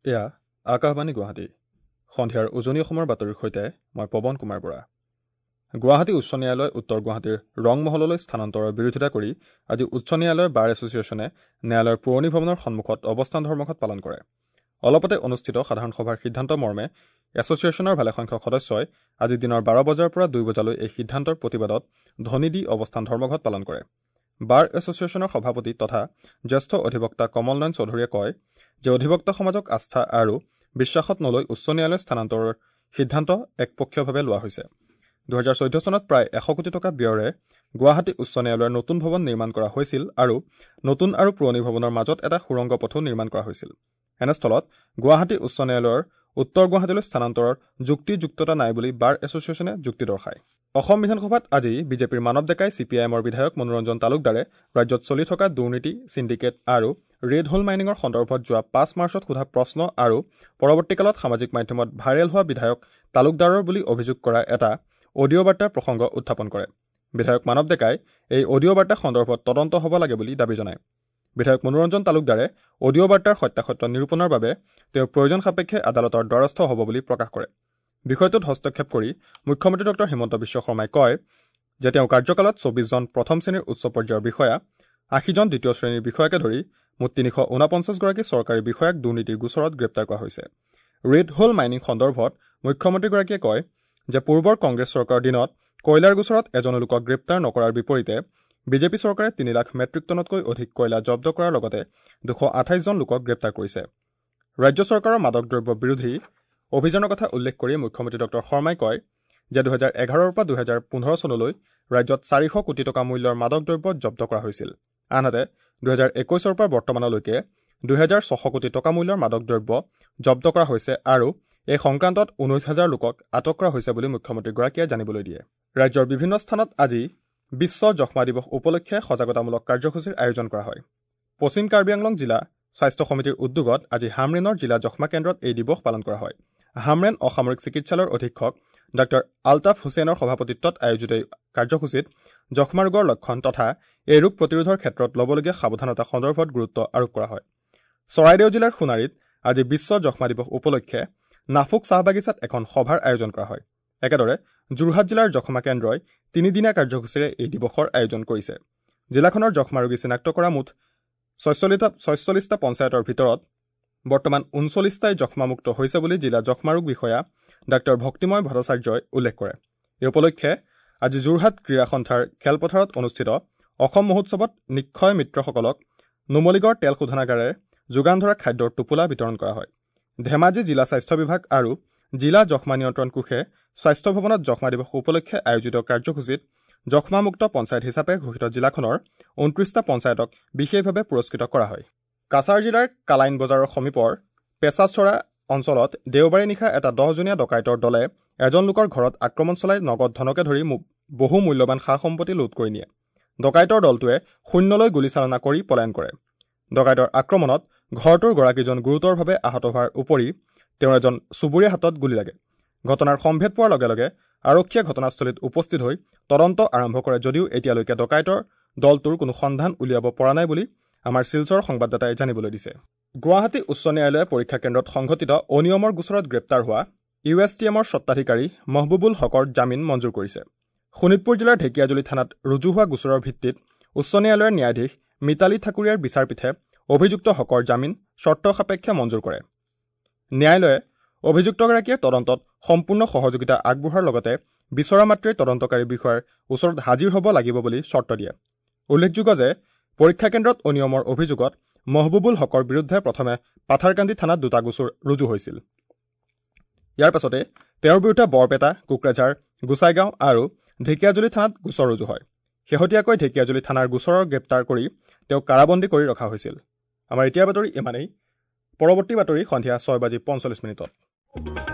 এয়া আকাশবাণী গুৱাহাটী। সন্ধিয়াৰ উজনি অসমৰ বাতৰিৰ সৈতে মই পৱন কুমাৰ বৰা। গুৱাহাটী উচ্চ ন্যায়ালয় উত্তৰ গুৱাহাটীৰ ৰংমহললৈ স্থানান্তৰৰ বিৰোধিতা কৰি আজি উচ্চ ন্যায়ালয়ৰ বাৰ এছ'চিয়েশ্যনে ন্যায়ালয়ৰ পুৰণি ভৱনৰ সন্মুখত অৱস্থান ধৰ্মঘট পালন কৰে। অলপতে অনুষ্ঠিত সাধাৰণ সভাৰ সিদ্ধান্ত মৰ্মে এছ'চিয়েশ্যনৰ ভালেসংখ্যক সদস্যই আজি দিনৰ 12 বজাৰ পৰা 2 বজালৈ এই সিদ্ধান্তৰ প্ৰতিবাদত ধ্বনি দি অৱস্থান ধৰ্মঘট পালন কৰে। বাৰ এছ'চিয়েশ্যনৰ সভাপতি তথা জ্যেষ্ঠ অধিবক্তা কমল নয়ন চৌধুৰীয়ে কয় যে অধিবক্তা সমাজক আস্থা আৰু বিশ্বাসত নলৈ উচ্চ ন্যায়ালয় স্থানান্তৰৰ সিদ্ধান্ত একপক্ষীয়ভাৱে লোৱা হৈছে। 2014 চনত প্ৰায় 100 কোটি টকা ব্যয়েৰে গুৱাহাটী উচ্চ ন্যায়ালয়ৰ নতুন ভৱন নিৰ্মাণ কৰা হৈছিল আৰু নতুন আৰু পুৰণি ভৱনৰ মাজত এটা সুৰংগ পথো নিৰ্মাণ কৰা হৈছিল। এনেস্থলত গুৱাহাটী উচ্চ ন্যায়ালয়ৰ উত্তৰ গুৱাহাটীলৈ স্থানান্তৰৰ যুক্তিযুক্ততা নাই বুলি বাৰ এছ'চিয়েশ্যনে যুক্তি দৰ্শায়। অসম বিধানসভাত আজি বিজেপিৰ মানৱ ডেকাই চি পি আই এমৰ বিধায়ক মনোৰঞ্জন তালুকদাৰে ৰাজ্যত চলি থকা দুৰ্নীতি, চিণ্ডিকেট আৰু ৰেড হোল মাইনিঙৰ সন্দৰ্ভত যোৱা 5 মাৰ্চত সোধা প্ৰশ্ন আৰু পৰৱৰ্তীকালত সামাজিক মাধ্যমত ভাইৰেল হোৱা বিধায়ক তালুকদাৰৰ বুলি অভিযোগ কৰা এটা অডিঅ' বাৰ্তাৰ প্ৰসংগ উত্থাপন কৰে। বিধায়ক মানৱ ডেকাই এই অডিঅ' বাৰ্তা সন্দৰ্ভত তদন্ত হ'ব লাগে বুলি দাবী জনায়। বিধায়ক মনোৰঞ্জন তালুকদাৰে অডিঅ' বাৰ্তাৰ সত্যাসত্য নিৰূপণৰ বাবে তেওঁ প্ৰয়োজন সাপেক্ষে আদালতৰ দ্বাৰস্থ হ'ব বুলি প্ৰকাশ কৰে। বিষয়টোত হস্তক্ষেপ কৰি মুখ্যমন্ত্ৰী ডঃ হিমন্ত বিশ্ব শৰ্মাই কয় যে তেওঁৰ কাৰ্যকালত 24 জন প্ৰথম শ্ৰেণীৰ উচ্চ পৰ্যায়ৰ বিষয়া, 80 জন দ্বিতীয় শ্ৰেণীৰ বিষয়াকে ধৰি মুঠ 349 গৰাকী চৰকাৰী বিষয়াক দুৰ্নীতিৰ গোচৰত গ্ৰেপ্তাৰ কৰা হৈছে। ৰেড হোল মাইনিং সন্দৰ্ভত মুখ্যমন্ত্ৰীগৰাকীয়ে কয় যে পূৰ্বৰ কংগ্ৰেছ চৰকাৰৰ দিনত কয়লাৰ গোচৰত এজনো লোকক গ্ৰেপ্তাৰ নকৰাৰ বিপৰীতে বিজেপি চৰকাৰে 3 লাখ মেট্ৰিক টনতকৈ অধিক কয়লা জব্দ কৰাৰ লগতে 228 জন লোকক গ্ৰেপ্তাৰ কৰিছে। ৰাজ্য চৰকাৰৰ মাদক দ্ৰব্য বিৰোধী অভিযানৰ কথা উল্লেখ কৰি মুখ্যমন্ত্ৰী ডঃ শৰ্মাই কয় যে 2011ৰ পৰা 2015 চনলৈ ৰাজ্যত 400 কোটি টকা মূল্যৰ মাদক দ্ৰব্য জব্দ কৰা হৈছিল। আনহাতে 2021ৰ পৰা বৰ্তমানলৈকে 2600 কোটি টকা মূল্যৰ মাদক দ্ৰব্য জব্দ কৰা হৈছে আৰু এই সংক্ৰান্তত 19,000 লোকক আটক কৰা হৈছে বুলি মুখ্যমন্ত্ৰীগৰাকীয়ে জানিবলৈ দিয়ে। ৰাজ্যৰ বিভিন্ন স্থানত আজি বিশ্ব যক্ষ্মা দিৱস উপলক্ষে সজাগতামূলক কাৰ্যসূচীৰ আয়োজন কৰা হয়। পশ্চিম কাৰ্বি আংলং জিলা স্বাস্থ্য সমিতিৰ উদ্যোগত আজি হামৰেনৰ জিলা যক্ষ্মা কেন্দ্ৰত এই দিৱস পালন কৰা হয়। হামৰেন অসামৰিক চিকিৎসালয়ৰ অধীক্ষক ডাঃ আলতাফ হুছেইনৰ সভাপতিত্বত আয়োজিত এই কাৰ্যসূচীত যক্ষ্মা ৰোগৰ লক্ষণ তথা এই ৰোগ প্ৰতিৰোধৰ ক্ষেত্ৰত ল'বলগীয়া সাৱধানতা সন্দৰ্ভত গুৰুত্ব আৰোপ কৰা হয়। চৰাইদেউ জিলাৰ সোণাৰীত আজি বিশ্ব যক্ষ্মা দিৱস উপলক্ষে নাফুক চাহ বাগিচাত এখন সভাৰ আয়োজন কৰা হয়। একেদৰে যোৰহাট জিলাৰ যক্ষ্মা কেন্দ্ৰই তিনিদিনীয়া কাৰ্যসূচীৰে এই দিৱসৰ আয়োজন কৰিছে। জিলাখনৰ যক্ষ্মা ৰোগী চিনাক্ত কৰা মুঠ 46টা পঞ্চায়তৰ ভিতৰত বৰ্তমান 39টাই যক্ষ্মামুক্ত হৈছে বুলি জিলা যক্ষ্মা ৰোগ বিষয়া ডাঃ ভক্তিময় ভট্টাচাৰ্যই উল্লেখ কৰে। এই উপলক্ষে আজি যোৰহাট ক্ৰীড়া সন্থাৰ খেলপথাৰত অনুষ্ঠিত অসম মহোৎসৱত নিক্ষয় মিত্ৰসকলক নুমলীগড় তেল শোধনাগাৰে যোগান ধৰা খাদ্যৰ টোপোলা বিতৰণ কৰা হয়। ধেমাজি জিলা স্বাস্থ্য বিভাগ আৰু জিলা যক্ষ্মা নিয়ন্ত্ৰণ কোষে স্বাস্থ্য ভৱনত যক্ষ্মা দিৱস উপলক্ষে আয়োজিত কাৰ্যসূচীত যক্ষ্মামুক্ত পঞ্চায়ত হিচাপে ঘোষিত জিলাখনৰ 29টা পঞ্চায়তক বিশেষভাৱে পুৰস্কৃত কৰা হয়। কাছাৰ জিলাৰ কালাইন বজাৰৰ সমীপৰ পেচাচৰা অঞ্চলত দেওবাৰে নিশা এটা 10জনীয়া ডকাইতৰ দলে এজন লোকৰ ঘৰত আক্ৰমণ চলাই নগদ ধনকে ধৰি বহু মূল্যৱান সা সম্পত্তি লুট কৰি নিয়ে। ডকাইতৰ দলটোৱে শূন্যলৈ গুলীচালনা কৰি পলায়ন কৰে। ডকাইতৰ আক্ৰমণত ঘৰটোৰ গৰাকীজন গুৰুতৰভাৱে আহত হোৱাৰ উপৰি তেওঁৰ এজন চুবুৰীয়া হাতত গুলী লাগে। ঘটনাৰ সম্ভেদ পোৱাৰ লগে লগে আৰক্ষীয়ে ঘটনাস্থলীত উপস্থিত হৈ তদন্ত আৰম্ভ কৰে যদিও এতিয়ালৈকে ডকাইতৰ দলটোৰ কোনো সন্ধান উলিয়াব পৰা নাই বুলি আমাৰ শিলচৰ সংবাদদাতাই জানিবলৈ দিছে। গুৱাহাটী উচ্চ ন্যায়ালয়ে পৰীক্ষা কেন্দ্ৰত সংঘটিত অনিয়মৰ গোচৰত গ্ৰেপ্তাৰ হোৱা ইউ এছ টি এমৰ স্বত্বাধিকাৰী মহবুবুল হকৰ জামিন মঞ্জুৰ কৰিছে। শোণিতপুৰ জিলাৰ ঢেকীয়াজুলি থানাত ৰুজু হোৱা গোচৰৰ ভিত্তিত উচ্চ ন্যায়ালয়ৰ ন্যায়াধীশ মিতালী ঠাকুৰীয়াৰ বিচাৰপীঠে অভিযুক্ত হকৰ জামিন চৰ্ত সাপেক্ষে মঞ্জুৰ কৰে। ন্যায়ালয়ে অভিযুক্তগৰাকীয়ে তদন্তত সম্পূৰ্ণ সহযোগিতা আগবঢ়োৱাৰ লগতে বিচৰা মাত্ৰেই তদন্তকাৰী বিষয়াৰ ওচৰত হাজিৰ হ'ব লাগিব বুলি চৰ্ত দিয়ে। উল্লেখযোগ্য যে পৰীক্ষা কেন্দ্ৰত অনিয়মৰ অভিযোগত মহবুবুল হকৰ বিৰুদ্ধে প্ৰথমে পাথাৰকান্দি থানাত দুটা গোচৰ ৰুজু হৈছিল। ইয়াৰ পাছতে তেওঁৰ বিৰুদ্ধে বৰপেটা, কোকৰাঝাৰ, গোসাইগাঁও আৰু ঢেকীয়াজুলি থানাত গোচৰ ৰুজু হয়। শেহতীয়াকৈ ঢেকীয়াজুলি থানাৰ গোচৰৰ গ্ৰেপ্তাৰ কৰি তেওঁক কাৰাবন্দী কৰি ৰখা হৈছিল। আমাৰ এতিয়াৰ বাতৰি ইমানেই। পৰৱৰ্তী বাতৰি সন্ধিয়া 6:45।